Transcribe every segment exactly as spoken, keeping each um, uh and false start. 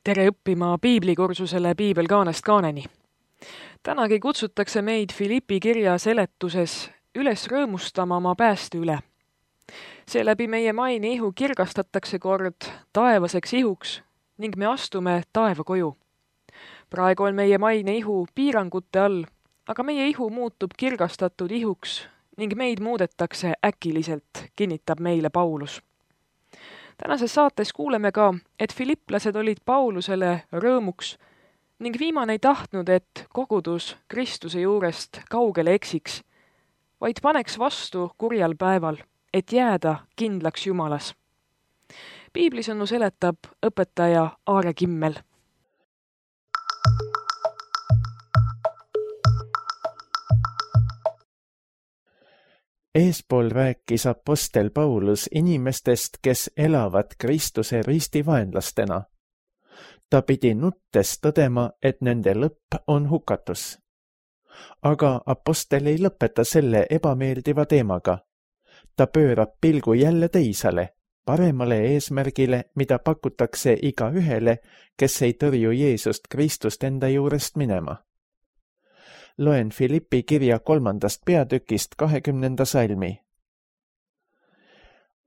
Tere õppima piiblikursusele Piibel kaanest kaaneni. Tänagi kutsutakse meid Filippi kirja seletuses üles rõõmustama oma pääste üle. Seeläbi meie maine ihu kirgastatakse kord taevaseks ihuks ning me astume taeva koju. Praegu on meie maine ihu piirangute all, aga meie ihu muutub kirgastatud ihuks ning meid muudetakse äkiliselt, kinnitab meile Paulus. Tänases saates kuuleme ka, et filipplased olid Paulusele rõõmuks ning viimane ei tahtnud, et kogudus Kristuse juurest kaugele eksiks, vaid paneks vastu kurjal päeval, et jääda kindlaks Jumalas. Piiblisõnu seletab õpetaja Aare Kimmel. Eespool rääkis apostel Paulus inimestest, kes elavad Kristuse ristivaenlastena. Ta pidi nuttes tõdema, et nende lõpp on hukatus. Aga apostel ei lõpeta selle ebameeldiva teemaga. Ta pöörab pilgu jälle teisale, paremale eesmärgile, mida pakutakse iga ühele, kes ei tõrju Jeesust Kristust enda juurest minema. Loen Filippi kirja kolmandast peatükist kahekümnenda salmi.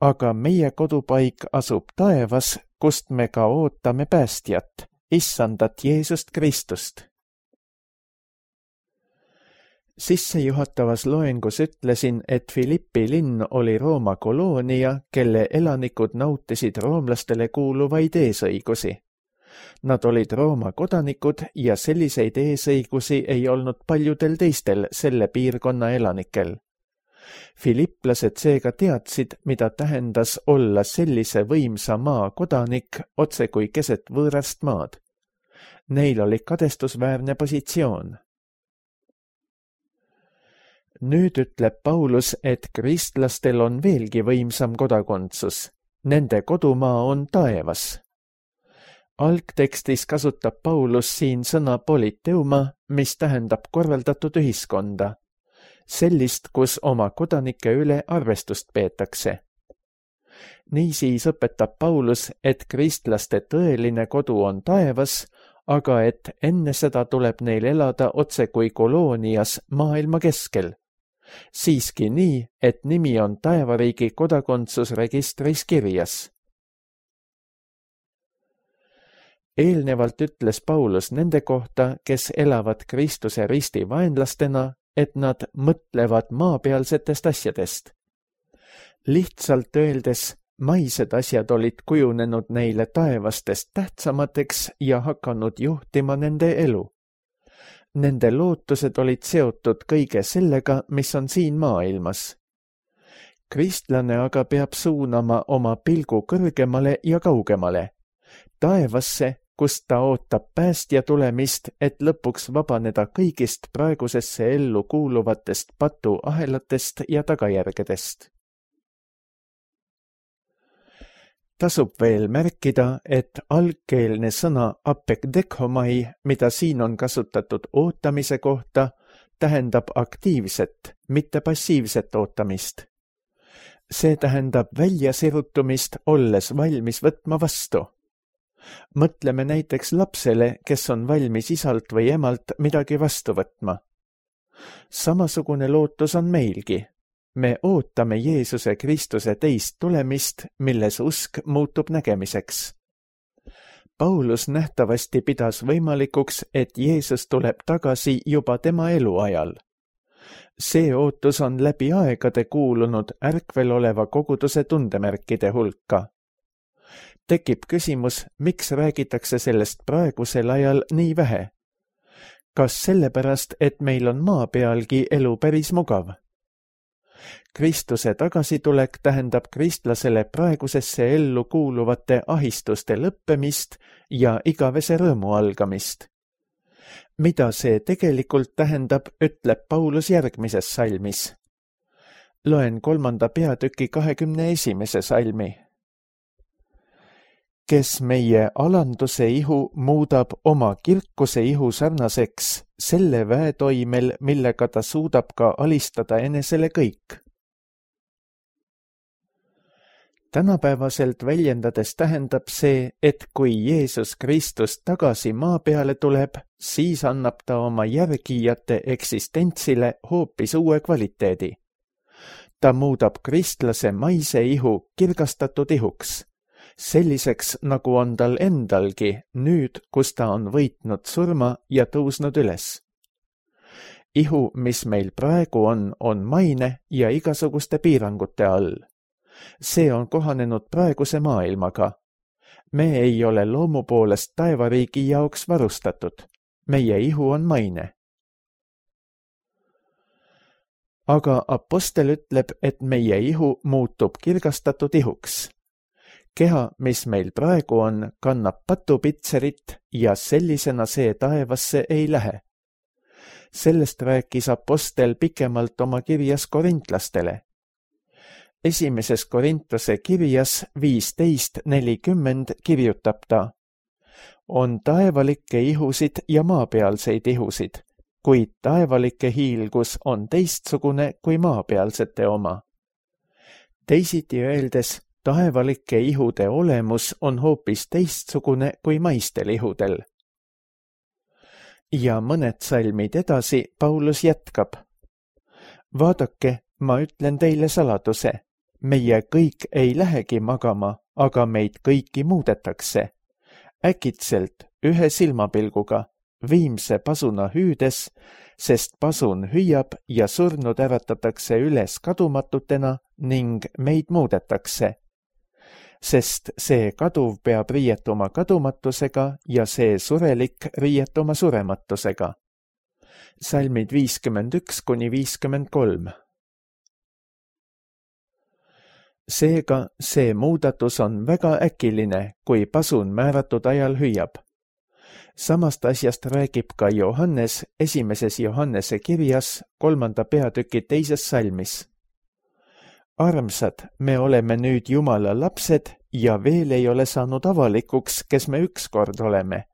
Aga meie kodupaik asub taevas, kust me ka ootame päästjat, issandat Jeesust Kristust. Sissejuhatavas loengus ütlesin, et Filippi linn oli Rooma koloonia, kelle elanikud nautisid roomlastele kuuluvaid eesõigusi. Nad olid Rooma kodanikud ja selliseid eesõigusi ei olnud paljudel teistel selle piirkonna elanikel. Filipplased seega teadsid, mida tähendas olla sellise võimsa maa kodanik otse kui keset võõrast maad. Neil oli kadestusväärne positsioon. Nüüd ütleb Paulus, et kristlastel on veelgi võimsam kodakondsus. Nende kodumaa on taevas. Algtekstis kasutab Paulus siin sõna politeuma, mis tähendab korraldatud ühiskonda. Sellist, kus oma kodanike üle arvestust peetakse. Niisiis õpetab Paulus, et kristlaste tõeline kodu on taevas, aga et enne seda tuleb neil elada otse kui koloonias maailma keskel. Siiski nii, et nimi on taevariigi kodakondsusregistris kirjas. Eelnevalt ütles Paulus nende kohta, kes elavad Kristuse risti vaenlastena, et nad mõtlevad maapealsetest asjadest. Lihtsalt öeldes, maised asjad olid kujunenud neile taevastest tähtsamateks ja hakanud juhtima nende elu. Nende lootused olid seotud kõige sellega, mis on siin maailmas. Kristlane aga peab suunama oma pilgu kõrgemale ja kaugemale, taevasse, kust ta ootab päästja tulemist, et lõpuks vabaneda kõigist praegusesse ellu kuuluvatest patuahelatest ja tagajärgedest. Tasub veel märkida, et algkeelne sõna apekdekhomai, mida siin on kasutatud ootamise kohta, tähendab aktiivset, mitte passiivset ootamist. See tähendab väljasirutumist, olles valmis võtma vastu. Mõtleme näiteks lapsele, kes on valmis isalt või emalt midagi vastu võtma. Samasugune lootus on meilgi. Me ootame Jeesuse Kristuse teist tulemist, milles usk muutub nägemiseks. Paulus nähtavasti pidas võimalikuks, et Jeesus tuleb tagasi juba tema eluajal. See ootus on läbi aegade kuulunud ärkvel oleva koguduse tundemärkide hulka. Tekib küsimus, miks räägitakse sellest praegusel ajal nii vähe? Kas sellepärast, et meil on maa pealgi elu päris mugav? Kristuse tagasitulek tähendab kristlasele praegusesse ellu kuuluvate ahistuste lõppemist ja igavese rõõmu algamist. Mida see tegelikult tähendab, ütleb Paulus järgmises salmis. Loen kolmanda peatüki kahekümne esimese salmi. Kes meie alanduse ihu muudab oma kirkuse ihu sarnaseks selle väetoimel, millega ta suudab ka alistada enesele kõik. Tänapäevaselt väljendades tähendab see, et kui Jeesus Kristus tagasi maa peale tuleb, siis annab ta oma järgijate eksistentsile hoopis uue kvaliteedi. Ta muudab kristlase maise ihu kirgastatud ihuks, selliseks nagu on tal endalgi nüüd, kus ta on võitnud surma ja tõusnud üles. Ihu, mis meil praegu on, on maine ja igasuguste piirangute all. See on kohanenud praeguse maailmaga. Me ei ole loomu poolest taevariigi jaoks varustatud. Meie ihu on maine. Aga apostel ütleb, et meie ihu muutub kirgastatud ihuks. Keha, mis meil praegu on, kannab patupitserit ja sellisena see taevasse ei lähe. Sellest rääkis apostel pikemalt oma kirjas korintlastele. Esimeses Korintuse kirjas viisteist nelikümmend kirjutab ta: on taevalikke ihusid ja maapealseid ihusid, kuid taevalike hiilgus on teistsugune kui maapealsete oma. Teisiti öeldes, taevalike ihude olemus on hoopis teistsugune kui maistel ihudel. Ja mõned salmid edasi Paulus jätkab: vaadake, ma ütlen teile saladuse. Meie kõik ei lähegi magama, aga meid kõiki muudetakse. Äkitselt ühe silmapilguga, viimse pasuna hüüdes, sest pasun hüüab ja surnud äratatakse üles kadumatutena ning meid muudetakse. Sest see kaduv peab riietuma kadumatusega ja see surelik riietuma surematusega. Salmid viiskümmend üks kuni viiskümmend kolm. Seega see muudatus on väga äkiline, kui pasun määratud ajal hüüab. Samast asjast räägib ka Johannes esimeses Johannese kirjas kolmanda peatüki teises salmis. Armsad, me oleme nüüd Jumala lapsed ja veel ei ole saanud avalikuks, kes me ükskord oleme.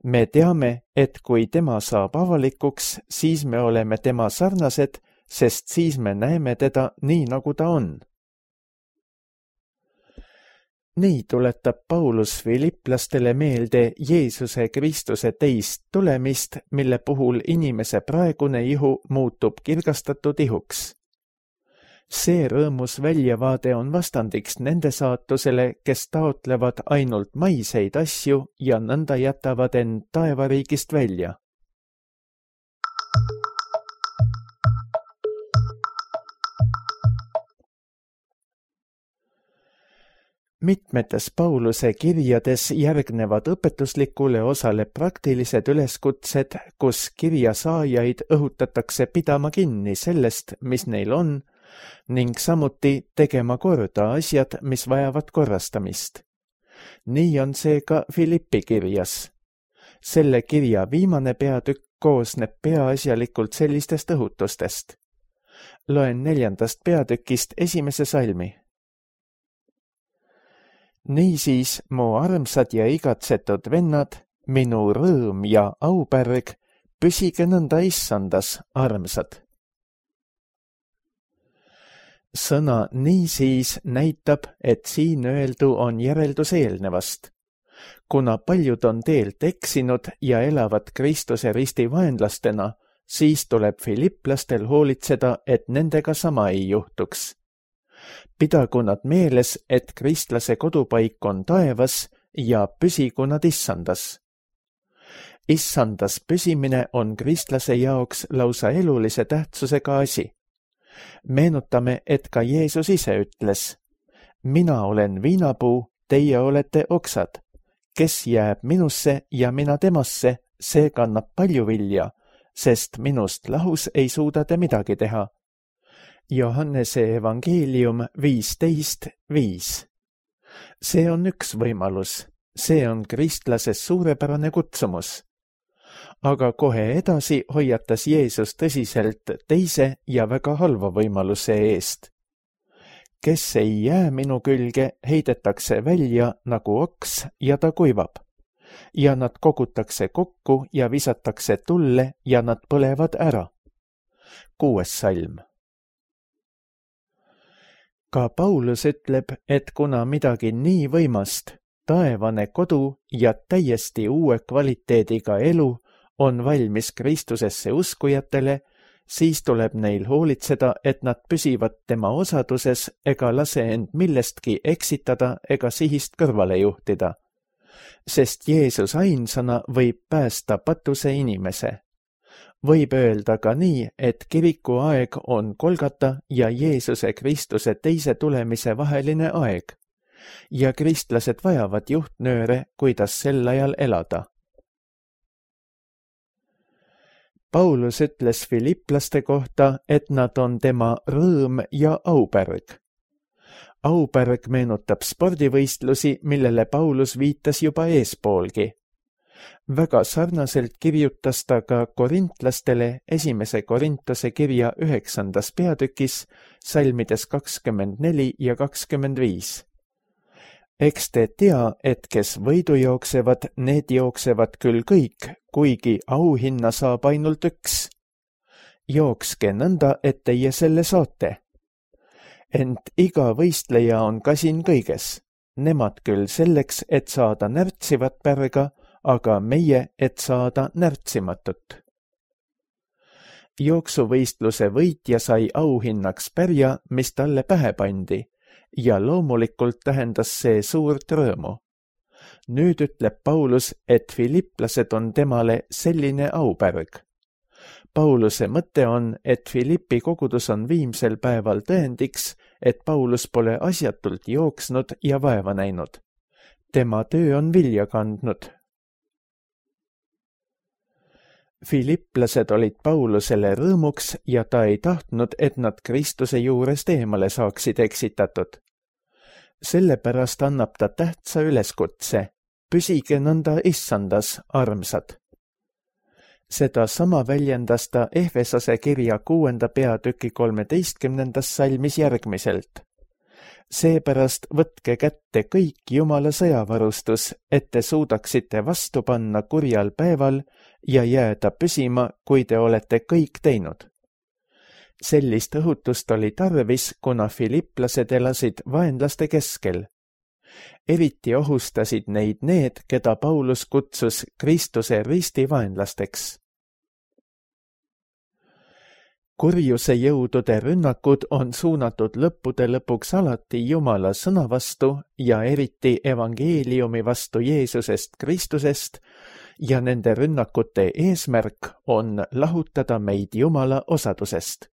Me teame, et kui tema saab avalikuks, siis me oleme tema sarnased, sest siis me näeme teda nii, nagu ta on. Nii tuletab Paulus filiplastele meelde Jeesuse Kristuse teist tulemist, mille puhul inimese praegune ihu muutub kirgastatud ihuks. See rõõmus väljavaade on vastandiks nende saatusele, kes taotlevad ainult maiseid asju ja nõnda jätavad end taevariigist välja. Mitmetes Pauluse kirjades järgnevad õpetuslikule osale praktilised üleskutsed, kus kirja saajaid õhutatakse pidama kinni sellest, mis neil on, ning samuti tegema korda asjad, mis vajavad korrastamist. Nii on see ka Filippi kirjas. Selle kirja viimane peatükk koosneb peaasjalikult sellistest õhutustest. Loen neljandast peatükist esimese salmi. Niisiis, mu armsad ja igatsetud vennad, minu rõõm ja aupärg, püsige nõnda issandas, armsad. Sõna niisiis näitab, et siin öeldu on järeldus eelnevast. Kuna paljud on teelt eksinud ja elavad Kristuse risti vaenlastena, siis tuleb filiplastel hoolitseda, et nendega sama ei juhtuks. Pidagu nad meeles, et kristlase kodupaik on taevas ja püsigu nad issandas. Issandas püsimine on kristlase jaoks lausa elulise tähtsusega asi. Meenutame, et ka Jeesus ise ütles: mina olen viinapuu, teie olete oksad. Kes jääb minusse ja mina temasse, see kannab palju vilja, sest minust lahus ei suuda te midagi teha. Johannese evangeelium viisteist viis. See on üks võimalus. See on kristlases suurepärane kutsumus. Aga kohe edasi hoiatas Jeesus tõsiselt teise ja väga halva võimaluse eest. Kes ei jää minu külge, heidetakse välja nagu oks ja ta kuivab. Ja nad kogutakse kokku ja visatakse tulle ja nad põlevad ära. Kuues salm. ka Paulus ütleb, et kuna midagi nii võimast, taevane kodu ja täiesti uue kvaliteediga elu on valmis Kristusesse uskujatele, siis tuleb neil hoolitseda, et nad püsivad tema osaduses ega lase end millestki eksitada ega sihist kõrvale juhtida. Sest Jeesus ainsana võib päästa patuse inimese. Võib öelda ka nii, et kiriku aeg on Golgata ja Jeesuse Kristuse teise tulemise vaheline aeg ja kristlased vajavad juhtnööre, kuidas sel ajal elada. Paulus ütles filipplaste kohta, et nad on tema rõõm ja aupärg. Aupärg meenutab spordivõistlusi, millele Paulus viitas juba eespoolgi. Väga sarnaselt kirjutas ta ka korintlastele esimese Korintuse kirja üheksandas peatükis, salmides kakskümmend neli ja kakskümmend viis. Eks te tea, et kes võidu jooksevad, need jooksevad küll kõik, kuigi auhinna saab ainult üks. Jookske nõnda, et teie selle saate. Ent iga võistleja on kasin kõiges. Nemad küll selleks, et saada närtsivat pärga, aga meie, et saada närtsimatut. Jooksuvõistluse võitja sai auhinnaks pärja, mis talle pähe pandi, ja loomulikult tähendas see suurt rõõmu. Nüüd ütleb Paulus, et filipplased on temale selline aupärg. Pauluse mõte on, et Filippi kogudus on viimsel päeval tõendiks, et Paulus pole asjatult jooksnud ja vaeva näinud. Tema töö on vilja kandnud. Filipplased olid Paulusele rõõmuks ja ta ei tahtnud, et nad Kristuse juurest eemale saaksid eksitatud. Sellepärast annab ta tähtsa üleskutse, püsige nõnda issandas, armsad. Seda sama väljendas ta Efesase kirja kuuenda peatüki kolmeteistkümnendas salmis järgmiselt. Seepärast võtke kätte kõik Jumala sõjavarustus, et te suudaksite vastu panna kurjal päeval ja jääda püsima, kui te olete kõik teinud. Sellist õhutust oli tarvis, kuna filipplased elasid vaenlaste keskel. Eriti ohustasid neid need, keda Paulus kutsus Kristuse risti vaenlasteks. Kurjuse jõudude rünnakud on suunatud lõppude lõpuks alati Jumala sõna vastu ja eriti evangeeliumi vastu Jeesusest Kristusest ja nende rünnakute eesmärk on lahutada meid Jumala osadusest.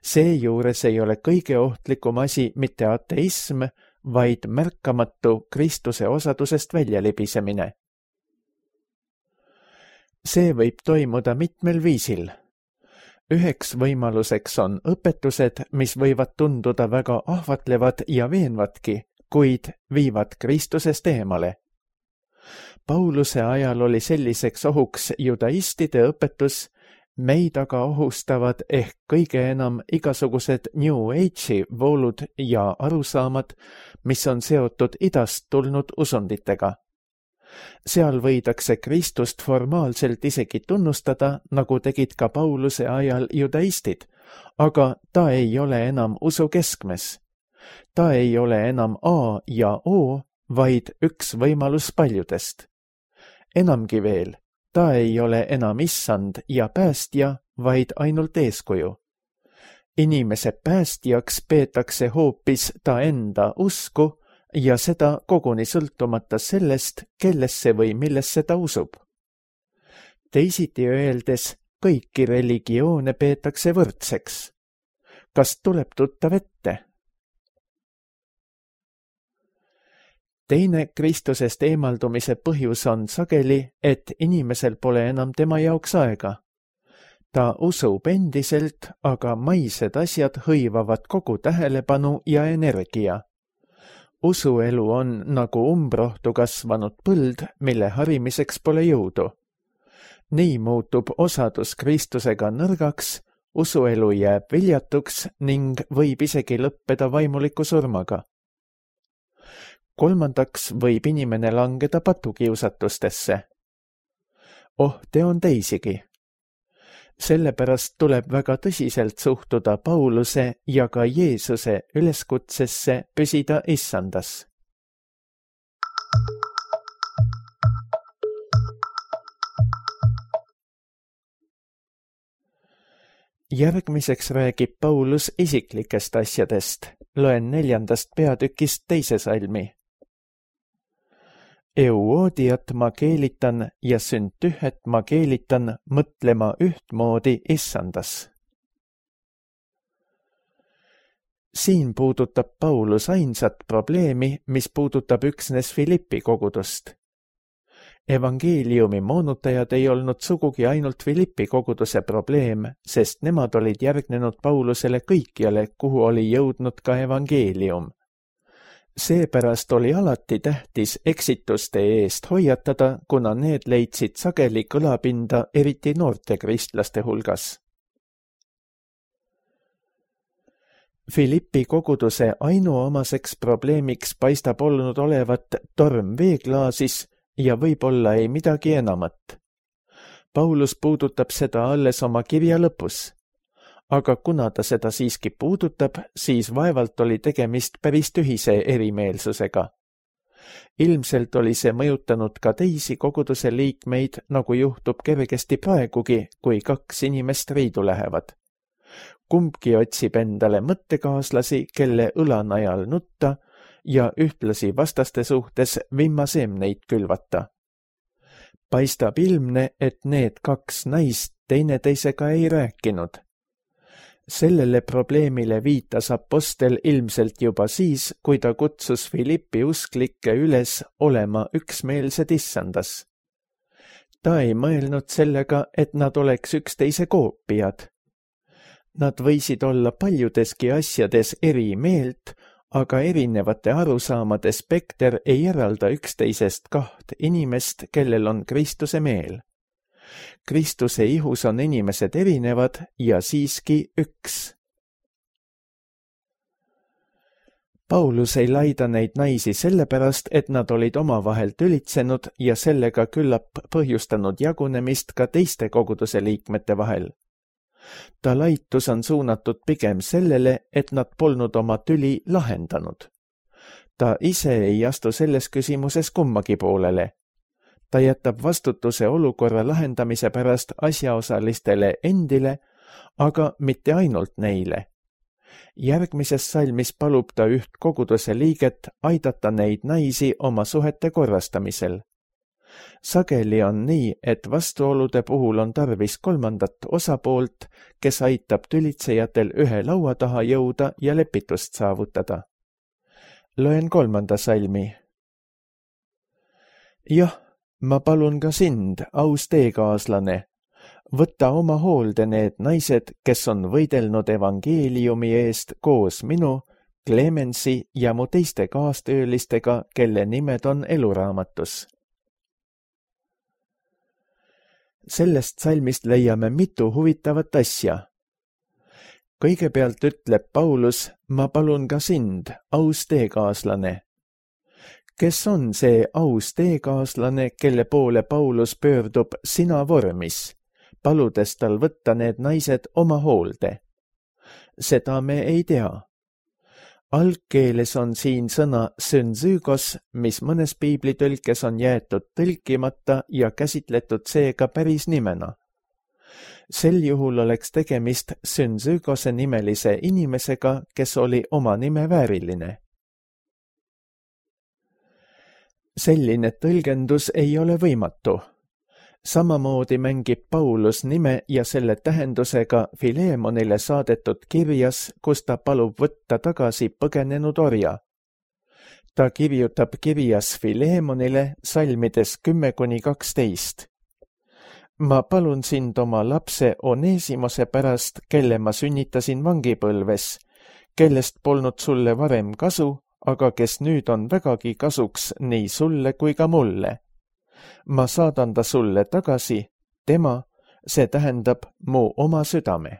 Seejuures ei ole kõige ohtlikum asi mitte ateism, vaid märkamatu Kristuse osadusest väljalibisemine. See võib toimuda mitmel viisil. Üheks võimaluseks on õpetused, mis võivad tunduda väga ahvatlevad ja veenvadki, kuid viivad Kristusest eemale. Pauluse ajal oli selliseks ohuks judaistide õpetus, meid aga ohustavad ehk kõige enam igasugused New Age'i voolud ja arusaamad, mis on seotud idast tulnud usunditega. Seal võidakse Kristust formaalselt isegi tunnustada, nagu tegid ka Pauluse ajal judaistid, aga ta ei ole enam usu keskmes. Ta ei ole enam A ja O, vaid üks võimalus paljudest. Enamgi veel, ta ei ole enam issand ja päästja, vaid ainult eeskuju. Inimese päästjaks peetakse hoopis ta enda usku, ja seda koguni sõltumata sellest, kellesse või millesse ta usub. Teisiti öeldes, kõiki religioone peetakse võrdseks. Kas tuleb tuttav ette? Teine Kristusest eemaldumise põhjus on sageli, et inimesel pole enam tema jaoks aega. Ta usub endiselt, aga maised asjad hõivavad kogu tähelepanu ja energia. Usuelu on nagu umbrohtu kasvanud põld, mille harimiseks pole jõudu. Nii muutub osadus Kristusega nõrgaks, usuelu jääb viljatuks ning võib isegi lõppeda vaimuliku surmaga. Kolmandaks võib inimene langeda patukiusatustesse. Ohte on teisigi. Sellepärast tuleb väga tõsiselt suhtuda Pauluse ja ka Jeesuse üleskutsesse püsida issandas. Järgmiseks räägib Paulus isiklikest asjadest. Loen neljandast peatükist teise salmi. Euodiat ma keelitan ja Süntühet ma keelitan mõtlema ühtmoodi issandas. Siin puudutab Paulus ainsat probleemi, mis puudutab üksnes Filippi kogudust. Evangeeliumi moonutajad ei olnud sugugi ainult Filippi koguduse probleem, sest nemad olid järgnenud Paulusele kõikjale, kuhu oli jõudnud ka evangeelium. Seepärast oli alati tähtis eksituste eest hoiatada, kuna need leidsid sageli kõlapinda eriti noorte kristlaste hulgas. Filippi koguduse ainuomaseks probleemiks paistab olnud olevat torm veeklaasis ja võib-olla ei midagi enamat. Paulus puudutab seda alles oma kirja lõpus. Aga kuna ta seda siiski puudutab, siis vaevalt oli tegemist päris tühise erimeelsusega. Ilmselt oli see mõjutanud ka teisi koguduse liikmeid, nagu juhtub kergesti praegugi, kui kaks inimest riidu lähevad. Kumbki otsib endale mõttekaaslasi, kelle õlanajal nutta ja ühtlasi vastaste suhtes vimmaseemneid külvata. Paistab ilmne, et need kaks naist teineteisega ei rääkinud. Sellele probleemile viitas apostel ilmselt juba siis, kui ta kutsus Filippi usklikke üles olema üksmeelsed issandas. Ta ei mõelnud sellega, et nad oleks üksteise koopiad. Nad võisid olla paljudeski asjades eri meelt, aga erinevate arusaamade spekter ei eralda üksteisest kaht inimest, kellel on Kristuse meel. Kristuse ihus on inimesed erinevad ja siiski üks. Paulus ei laida neid naisi sellepärast, et nad olid omavahel tülitsenud ja sellega küllap põhjustanud jagunemist ka teiste koguduse liikmete vahel. Ta laitus on suunatud pigem sellele, et nad polnud oma tüli lahendanud. Ta ise ei astu selles küsimuses kummagi poolele. Ta jätab vastutuse olukorra lahendamise pärast asjaosalistele endile, aga mitte ainult neile. Järgmises salmis palub ta üht koguduse liiget aidata neid naisi oma suhete korrastamisel. Sageli on nii, et vastuolude puhul on tarvis kolmandat osapoolt, kes aitab tülitsejatel ühe laua taha jõuda ja lepitust saavutada. Loen kolmanda salmi. Jah, ma palun ka sind, aus teekaaslane, võtta oma hoolde need naised, kes on võidelnud evangeeliumi eest koos minu, Clemensi ja mu teiste kaastöölistega, kelle nimed on eluraamatus. Sellest salmist leiame mitu huvitavat asja. Kõigepealt ütleb Paulus, ma palun ka sind, aus teekaaslane. Kes on see aus teekaaslane, kelle poole Paulus pöördub sina vormis, paludes tal võtta need naised oma hoolde? Seda me ei tea. Algkeeles on siin sõna synzygos, mis mõnes piiblitõlkes on jäetud tõlkimata ja käsitletud seega päris nimena. Sel juhul oleks tegemist synzygose nimelise inimesega, kes oli oma nime vääriline. Selline tõlgendus ei ole võimatu. Samamoodi mängib Paulus nime ja selle tähendusega Filemonile saadetud kirjas, kus ta palub võtta tagasi põgenenud orja. Ta kirjutab kirjas Filemonile salmides kümme kuni kaksteist. Ma palun sind oma lapse Onesimose pärast, kelle ma sünnitasin vangipõlves, kellest polnud sulle varem kasu, aga kes nüüd on vägagi kasuks nii sulle kui ka mulle. Ma saadan ta sulle tagasi, tema, see tähendab mu oma südame.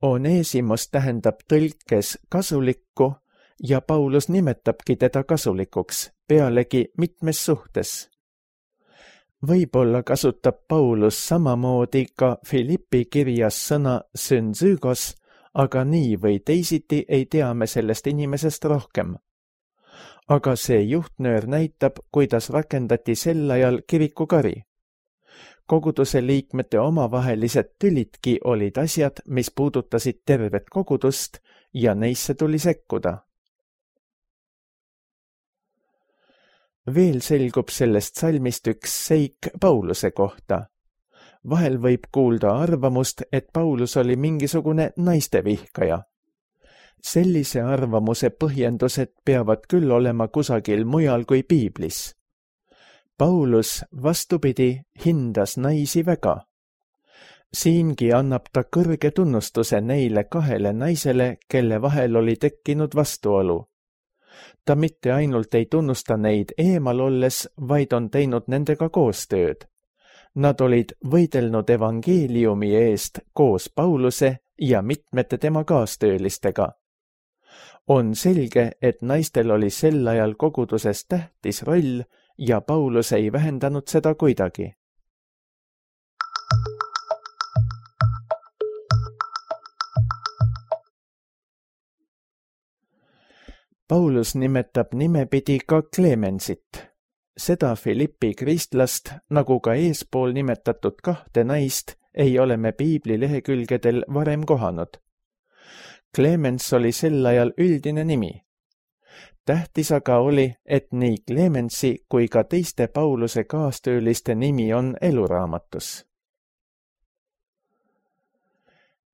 Onesimos tähendab tõlkes kasulikku ja Paulus nimetabki teda kasulikuks, pealegi mitmes suhtes. Võib-olla kasutab Paulus samamoodi ka Filippi kirjas sõna synzygos, aga nii või teisiti ei tea me sellest inimesest rohkem. Aga see juhtnöör näitab, kuidas rakendati sel ajal kirikukari. Koguduse liikmete omavahelised tülidki olid asjad, mis puudutasid tervet kogudust ja neisse tuli sekkuda. Veel selgub sellest salmist üks seik Pauluse kohta. Vahel võib kuulda arvamust, et Paulus oli mingisugune naistevihkaja. Sellise arvamuse põhjendused peavad küll olema kusagil mujal kui piiblis. Paulus vastupidi hindas naisi väga. Siingi annab ta kõrge tunnustuse neile kahele naisele, kelle vahel oli tekkinud vastuolu. Ta mitte ainult ei tunnusta neid eemal olles, vaid on teinud nendega koostööd. Nad olid võidelnud evangeeliumi eest koos Pauluse ja mitmete tema kaastöölistega. On selge, et naistel oli sel ajal koguduses tähtis roll ja Paulus ei vähendanud seda kuidagi. Paulus nimetab nimepidi ka Clemensit. Seda Filippi kristlast, nagu ka eespool nimetatud kahte naist, ei ole me piibli lehekülgedel varem kohanud. Clemens oli sel ajal üldine nimi. Tähtis aga oli, et nii Clemensi kui ka teiste Pauluse kaastööliste nimi on eluraamatus.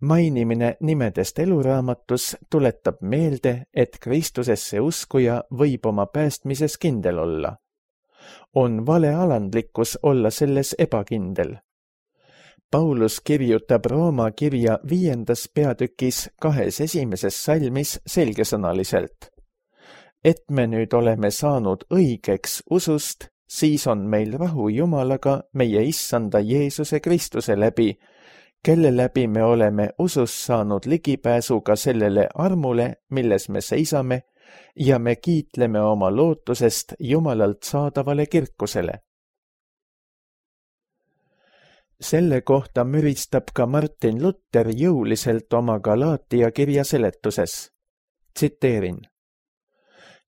Mainimine nimedest eluraamatus tuletab meelde, et Kristusesse uskuja võib oma päästmises kindel olla. On valealandlikkus olla selles ebakindel. Paulus kirjutab Rooma kirja viiendas peatükis kahes esimeses salmis selgesõnaliselt. Et me nüüd oleme saanud õigeks usust, siis on meil rahu Jumalaga meie issanda Jeesuse Kristuse läbi, kelle läbi me oleme usus saanud ligipääsuga sellele armule, milles me seisame, ja me kiitleme oma lootusest Jumalalt saadavale kirkusele. Selle kohta müristab ka Martin Luther jõuliselt oma Galaatia kirja seletuses. Tsiteerin.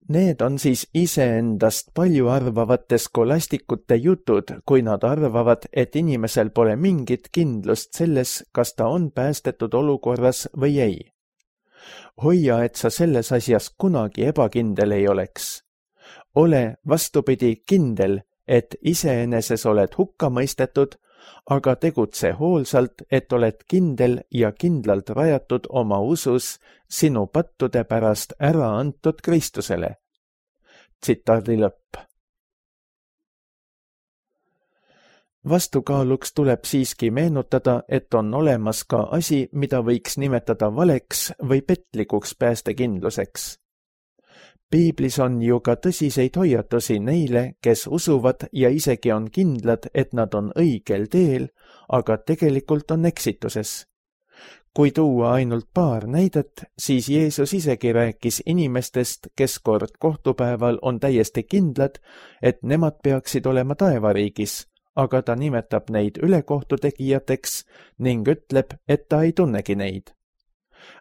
Need on siis iseendast palju arvavate skolastikute jutud, kui nad arvavad, et inimesel pole mingit kindlust selles, kas ta on päästetud olukorras või ei. Hoia, et sa selles asjas kunagi ebakindel ei oleks. Ole vastupidi kindel, et iseeneses oled hukka mõistetud, aga tegutse hoolsalt, et oled kindel ja kindlalt rajatud oma usus sinu pattude pärast ära antud Kristusele. Tsitaadi lõpp. Vastukaaluks tuleb siiski meenutada, et on olemas ka asi, mida võiks nimetada valeks või petlikuks päästekindluseks. Piiblis on ju ka tõsiseid hoiatusi neile, kes usuvad ja isegi on kindlad, et nad on õigel teel, aga tegelikult on eksituses. Kui tuua ainult paar näidet, siis Jeesus isegi rääkis inimestest, kes kord kohtupäeval on täiesti kindlad, et nemad peaksid olema taevariigis, aga ta nimetab neid ülekohtutegijateks ning ütleb, et ta ei tunnegi neid.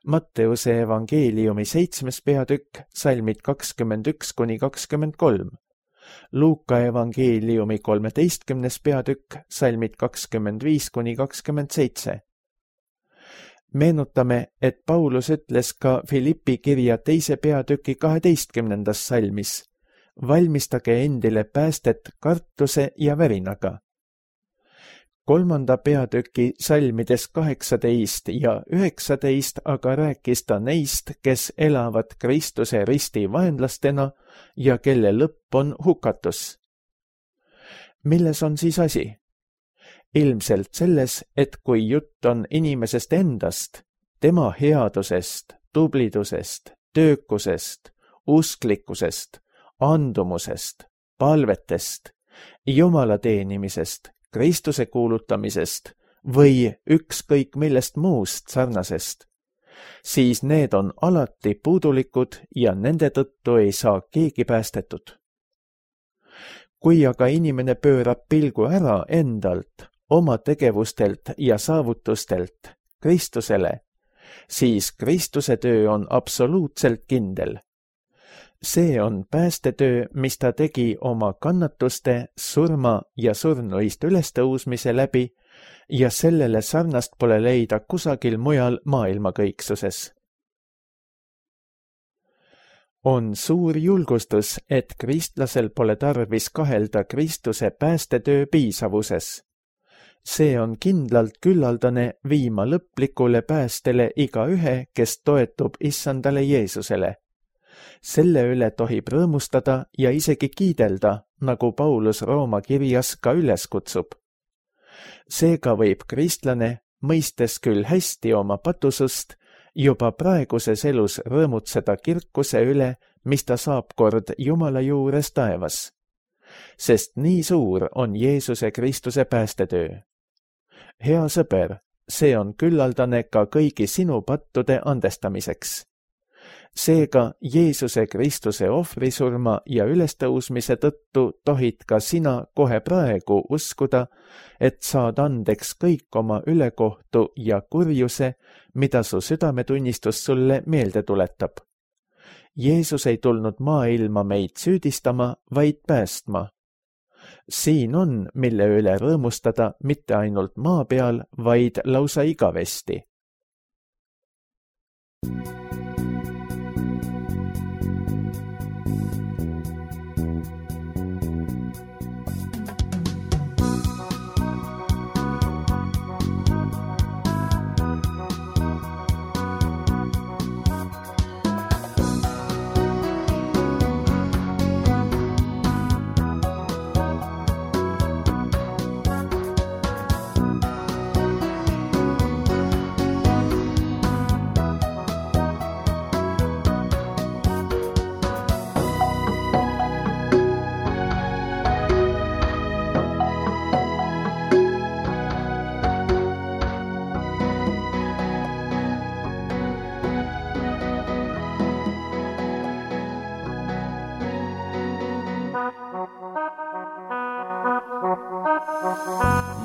Matteuse evangeeliumi seitsmes peatükk, salmid kakskümmend üks kuni kakskümmend kolm. Luuka evangeeliumi kolmeteistkümnes peatükk, salmid kakskümmend viis kuni kakskümmend seitse. Meenutame, et Paulus ütles ka Filippi kirja teise peatüki kaheteistkümnendas salmis. Valmistage endile päästet kartuse ja värinaga. Kolmanda peatüki salmides kaheksateist ja üheksateist aga rääkis ta neist, kes elavad Kristuse risti vaenlastena ja kelle lõpp on hukatus. Milles on siis asi? Ilmselt selles, et kui jutt on inimesest endast, tema headusest, tublidusest, töökusest, usklikkusest, andumusest, palvetest, Jumala teenimisest, Kristuse kuulutamisest või ükskõik millest muust sarnasest, siis need on alati puudulikud ja nende tõttu ei saa keegi päästetud. kui aga inimene pöörab pilgu ära endalt, oma tegevustelt ja saavutustelt Kristusele, siis Kristuse töö on absoluutselt kindel. See on päästetöö, mis ta tegi oma kannatuste, surma ja surnuist ülestõusmise läbi ja sellele sarnast pole leida kusagil mujal maailmakõiksuses. On suur julgustus, et kristlasel pole tarvis kahelda Kristuse päästetöö piisavuses. See on kindlalt küllaldane viima lõplikule päästele igaühe, kes toetub issandale Jeesusele. Selle üle tohib rõõmustada ja isegi kiidelda, nagu Paulus Rooma kirjas ka üles kutsub. Seega võib kristlane, mõistes küll hästi oma patusust, juba praeguses elus rõõmutseda kirkuse üle, mis ta saab kord Jumala juures taevas. Sest nii suur on Jeesuse Kristuse päästetöö. Hea sõber, see on küllaldane ka kõigi sinu pattude andestamiseks. Seega Jeesuse Kristuse ohvrisurma ja ülestõusmise tõttu tohid ka sina kohe praegu uskuda, et saad andeks kõik oma ülekohtu ja kurjuse, mida su südametunnistus sulle meelde tuletab. Jeesus ei tulnud maailma meid süüdistama, vaid päästma. Siin on, mille üle rõõmustada mitte ainult maa peal, vaid lausa igavesti.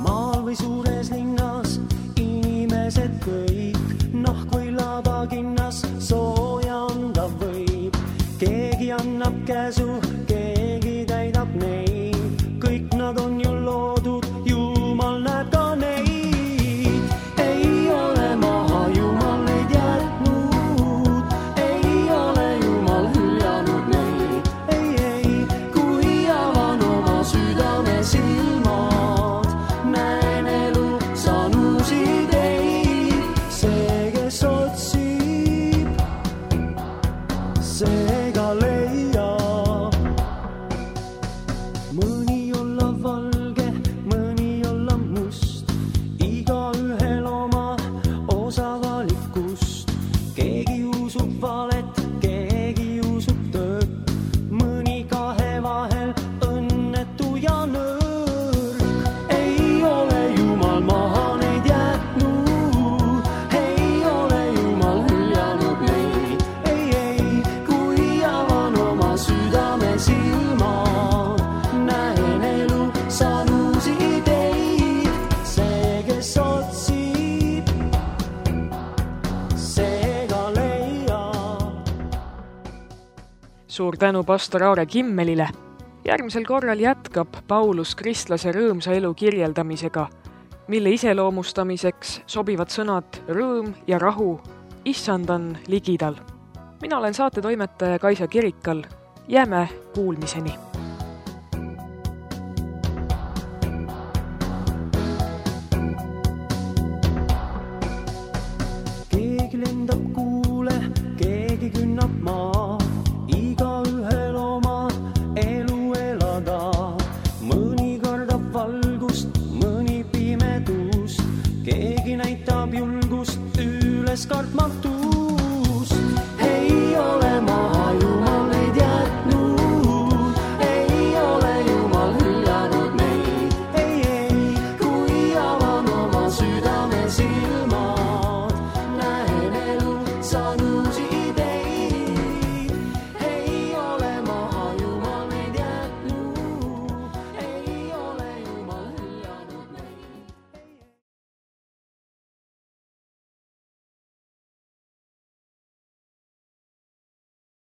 Maal või suures linnas inimesed kõik, noh kui labakinnas sooja anda võib. Keegi annab käsu, keegi täidab neid, kõik nad on ju loodud, Jumal näeb ka neid. Ei ole maha Jumal neid jätnud, ei ole Jumal hüljanud neid. Ei, ei, kui avan oma südame silmad, näen elu, saan uusi teid. See, kes otsib, seega leiab. Mõni olla valge, mõni olla must, igaühel oma osa valikust. Keegi usub valet, keegi usub tõtt, mõni kahe vahel õnnetu ja nõrk. Ei ole Jumal maha neid jätnud, ei ole Jumal hüljanud neid. Ei, ei, kui avan oma südame silmad, näen elu, saan uusi teid. See, kes otsib, seega leiab. Suur tänu pastor Aare Kimmelile. Järgmisel korral jätkab Paulus kristlase rõõmsa elu kirjeldamisega, mille iseloomustamiseks sobivad sõnad rõõm ja rahu. Issand on ligidal. Mina olen saatetoimetaja Kaisa Kirikal. Jääme kuulmiseni. Keegi lendab kuule, keegi künnab maa, igaühel oma elu elada. Mõni kardab valgust, mõni pimedust, keegi näitab julgust üles kartmatu.